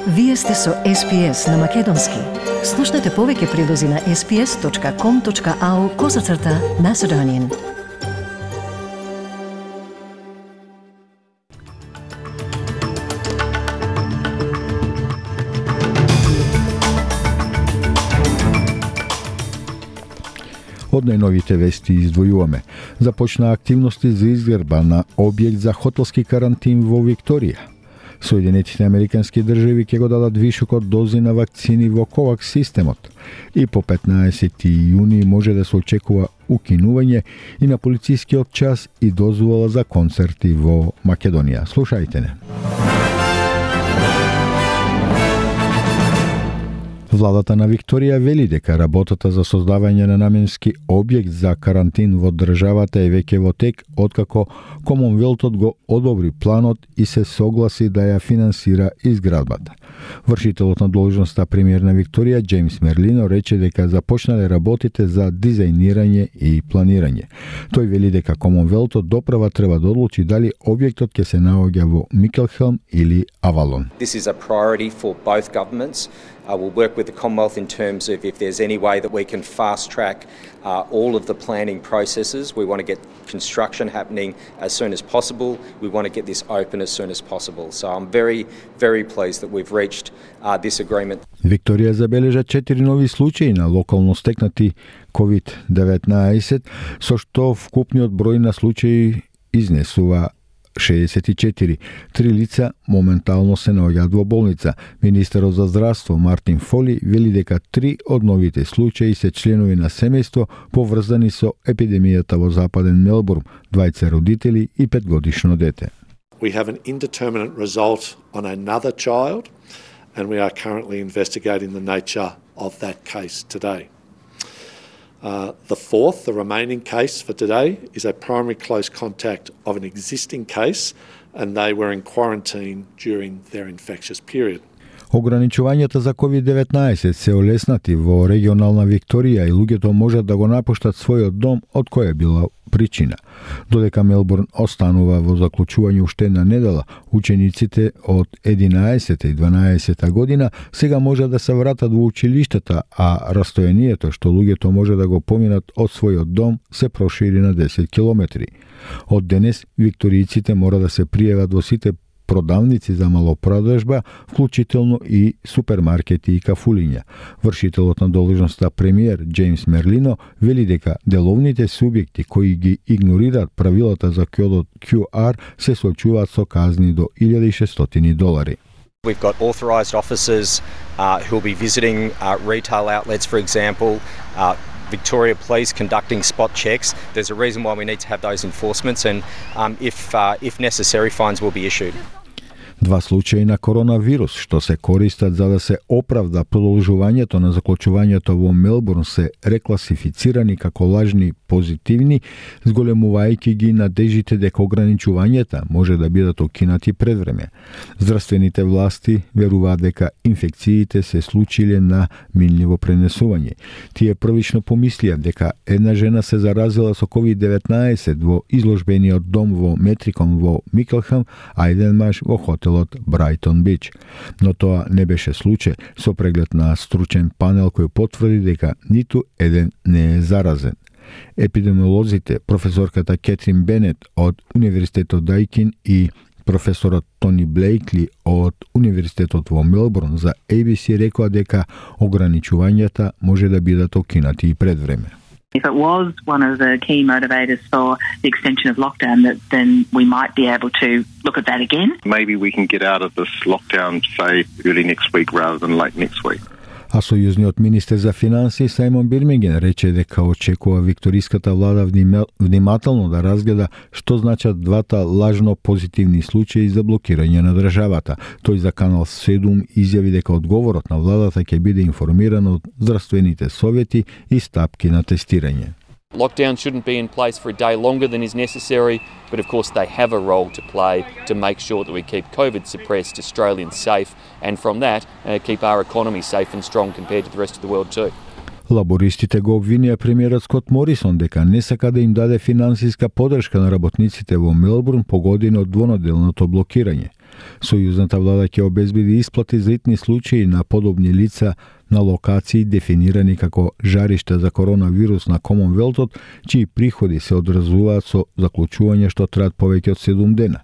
Вие сте со SPS на Македонски. Слушнете повеќе прилози на sps.com.au/Macedonian. Од најновите вести издвојуваме. Започна активности за изградба на објект за хотелски карантин во Викторија. Соединетите американски држави ќе го дадат вишок од дози на вакцини во COVAX системот. И по 15 јуни може да се очекува укинување и на полицискиот час и дозвола за концерти во Македонија. Слушајте не. Владата на Викторија вели дека работата за создавање на наменски објект за карантин во државата е веќе во тек, откако Комонвелтот го одобри планот и се согласи да ја финансира изградбата. Вршителот на должноста премиер на Викторија, Джеймс Мерлино, рече дека започнале работите за дизајнирање и планирање. Тој вели дека Комонвелтот доправа треба да одлучи дали објектот ќе се наоѓа во Микелхелм или Авалон. This is a priority for both governments. We'll work with the Commonwealth in terms of if there's any way that we can fast track all of the planning processes. We want to get construction happening as soon as possible. We want to get this open as soon as possible. So I'm very, very pleased that we've reached this agreement. Викторија забележа 4 нови случаи на локално стекнати COVID-19, со што вкупниот број на случаи изнесува 64. 3 лица моментално се наоѓаат во болница. Министерот за здравство Мартин Фоли вели дека 3 од новите случаи се членови на семејство поврзани со епидемијата во Западен Мелбурн, 2 родители и 5-годишно дете. We have an indeterminate result on another child and we are currently investigating the nature of that case today. The remaining case for today, is a primary close contact of an existing case and they were in quarantine during their infectious period. Ограничувањата за COVID-19 се олеснати во регионална Викторија и луѓето можат да го напуштат својот дом од која била причина. Додека Мелбурн останува во заклучување уште една недела, учениците од 11 и 12 година сега може да се вратат во училиштата, а растојанието што луѓето може да го поминат од својот дом се прошири на 10 километри. Од денес викторијците мора да се пријават во сите продавници за малопродажба, вклучително и супермаркети и кафулиња. Вршителот на должноста премиер Джеймс Мерлино вели дека деловните субјекти кои ги игнорираат правилата за кодот QR се соочуваат со казни до $1,600. We've got authorised officers who will be visiting retail outlets, for example, Victoria Police conducting spot checks. There's a reason why we need to have those enforcements and if necessary, fines will be issued. 2 случаи на коронавирус што се користат за да се оправда продолжувањето на заклучувањето во Мелбурн се рекласифицирани како лажни позитивни, зголемувајќи ги надежите дека ограничувањата може да бидат укинати пред време. Здравствените власти веруваат дека инфекциите се случиле на минливо пренесување. Тие првично помислија дека една жена се заразила со COVID-19 во изложбениот дом во Метрикон во Микелхам, а еден маж во хотел Брайтон Бич. Но тоа не беше случај, со преглед на стручен панел кој потврди дека ниту еден не е заразен. Епидемиолозите, професорката Кетрин Бенет од Универзитетот Дайкин и професорот Тони Блейкли од Универзитетот во Мелбурн за ABC рекоа дека ограничувањата може да бидат окинати и пред време. If it was one of the key motivators for the extension of lockdown, then we might be able to look at that again. Maybe we can get out of this lockdown, say, early next week rather than late next week. А сојузниот министер за финансии Сајмон Бирминген рече дека очекува викториската влада внимателно да разгледа што значат двата лажно позитивни случаи за блокирање на државата. Тој за Канал 7 изјави дека одговорот на владата ќе биде информиран од здравствените совети и стапки на тестирање. Lockdown shouldn't be in place for a day longer than is necessary, but of course they have a role to play to make sure that we keep COVID-suppressed Australians safe and from that keep our economy safe and strong compared to the rest of the world too. Лабористите го обвинија премиерот Скот Морисон дека не сака да им даде финансиска поддршка на работниците во Мелбурн погодени од двонаделното блокирање. Сојузната влада ќе обезбеди исплати за итни случаи на подобни лица на локации дефинирани како жаришта за коронавирус на Комонвелтот, чии приходи се одразуваат со заклучување што траат повеќе од 7 дена.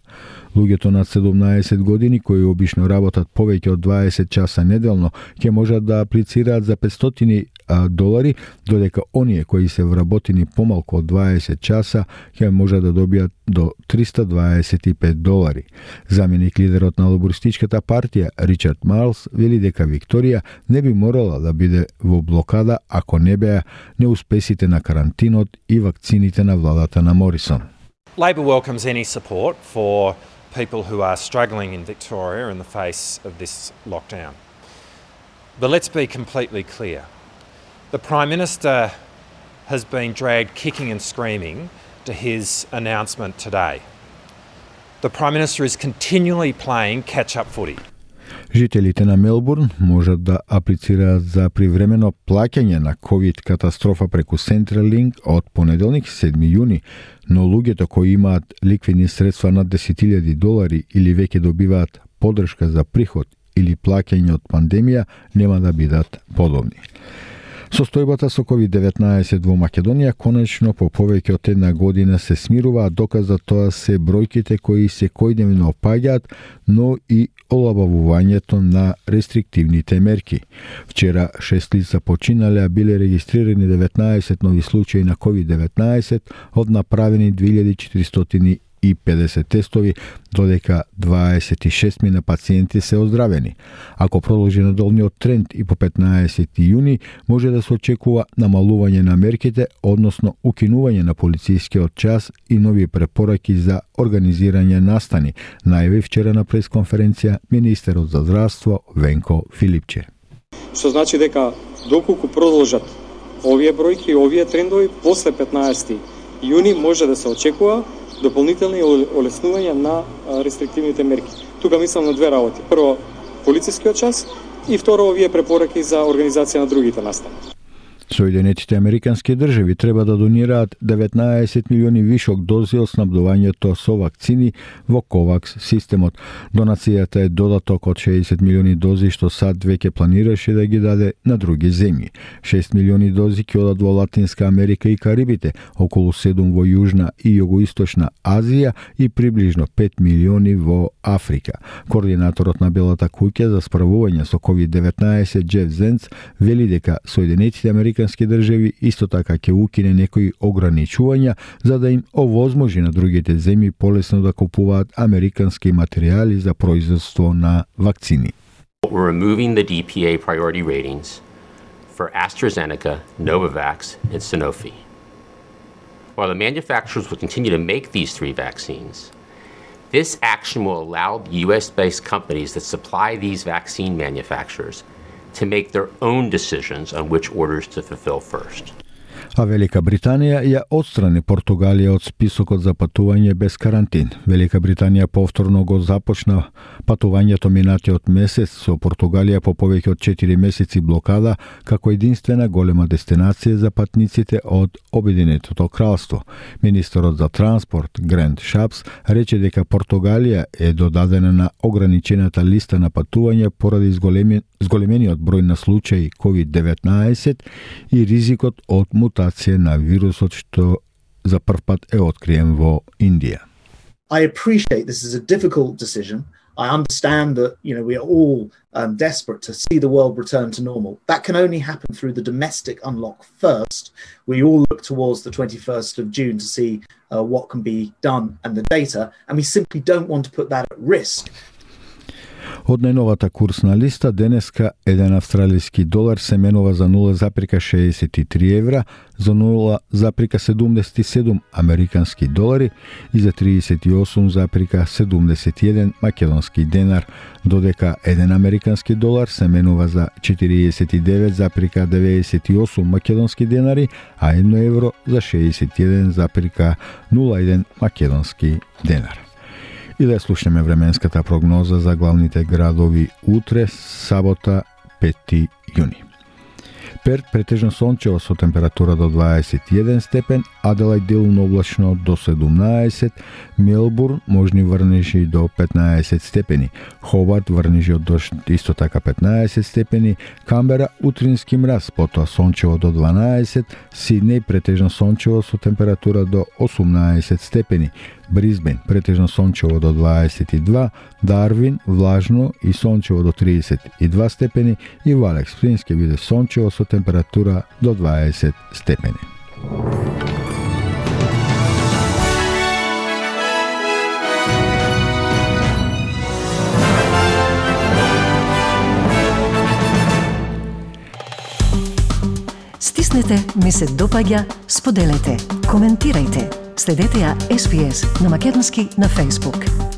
Луѓето над 17 години кои обично работат повеќе од 20 часа неделно ќе можат да аплицираат за $500, додека оние кои се вработени помалку од 20 часа ќе можат да добијат до $325. Заменик лидерот на лабористичката партија Ричард Марлс вели дека Викторија не би морала да биде во блокада ако не беа неуспесите на карантинот и вакцините на владата на Морисон. Labor welcomes any support for people who are struggling in Victoria in the face of this lockdown. But let's be completely clear. The Prime Minister has been dragged kicking and screaming to his announcement today. The Prime Minister is continually playing catch-up footy. Жителите на Мелбурн можат да аплицираат за привремено плаќање на ковид катастрофа преку Centrelink од понеделник 7 јуни, но луѓето кои имаат ликвидни средства над $10,000 или веќе добиваат поддршка за приход или плаќање од пандемија нема да бидат подобни. Состојбата со COVID-19 во Македонија конечно по повеќе од една година се смирува, а доказ за тоа се бројките кои секојдневно опаѓаат, но и олабавувањето на рестриктивните мерки. Вчера 6 лица починале, а биле регистрирани 19 нови случаи на COVID-19 од направени 2450 тестови, додека 26 мина пациенти се оздравени. Ако продолжи надолниот тренд и по 15 јуни, може да се очекува намалување на мерките, односно укинување на полицискиот час и нови препораки за организирање настани, најави вчера на пресконференција министерот за здравство Венко Филипче. Што значи дека доколку продолжат овие бројки, овие трендови, после 15 јуни може да се очекува дополнителни олеснувања на рестриктивните мерки. Тука мислам на две работи. Прво, полицискиот час и второ, овие препораки за организација на другите настани. Соединетите Американски држави треба да донираат 19 милиони вишок дози од снабдувањето со вакцини во COVAX системот. Донацијата е додаток од 60 милиони дози што САД веќе планираше да ги даде на други земји. 6 милиони дози ќе одат во Латинска Америка и Карибите, околу 7 во Јужна и Југоисточна Азија и приближно 5 милиони во Африка. Координаторот на Белата куќа за справување со COVID-19 Джеф Зенц вели дека Соединетите Американски држави исто така ќе укине некои ограничувања за да им овозможи на другите земји полесно да купуваат американски материјали за производство на вакцини. We're removing the DPA priority ratings for AstraZeneca, Novavax, and Sanofi. While the manufacturers will continue to make these three vaccines, this action will allow US-based companies that supply these vaccine manufacturers to make their own decisions on which orders to fulfill first. А Велика Британија ја отстрани Португалија од списокот за патување без карантин. Велика Британија повторно го започна патувањето минатиот месец со Португалија по повеќе од 4 месеци блокада како единствена голема дестинација за патниците од Обединетото кралство. Министерот за транспорт Грант Шапс рече дека Португалија е додадена на ограничената листа на патување поради зголемениот број на случаи COVID-19 и ризикот од мутација на вирусот што за прв пат е откриен во Индија. I appreciate this is a difficult decision. I understand that, we are all desperate to see the world return to normal. That can only happen through the domestic unlock first. We all look towards the 21st of June to see what can be done and the data, and we simply don't want to put that at risk. Од најновата курсна листа, денеска еден австралиски долар се менува за 0,63 евра, за 0,77 американски долари и за 38,71 македонски денар, додека еден американски долар се менува за 49,98 македонски денари, а 1 евро за 61,01 македонски денар. И да слушнеме временската прогноза за главните градови утре, сабота, 5 јуни. Перт претежно сончево со температура до 21 степен, Аделаид делумно облачно до 17, Мелбурн можни врнежи до 15 степени, Хобарт врнежи од дожд исто така 15 степени, Камбера утрински мраз, потоа сончево до 12, Сиднеј претежно сончево со температура до 18 степени, Брисбен претежно сончево до 22, Дарвин влажно и сончево до 32 степени и во Алекс Спрингс ќе биде сончево со температура до 20 степени. Стиснете, ми се допаѓа, споделете, коментирајте. Следете ја SPS на Македонски на Facebook.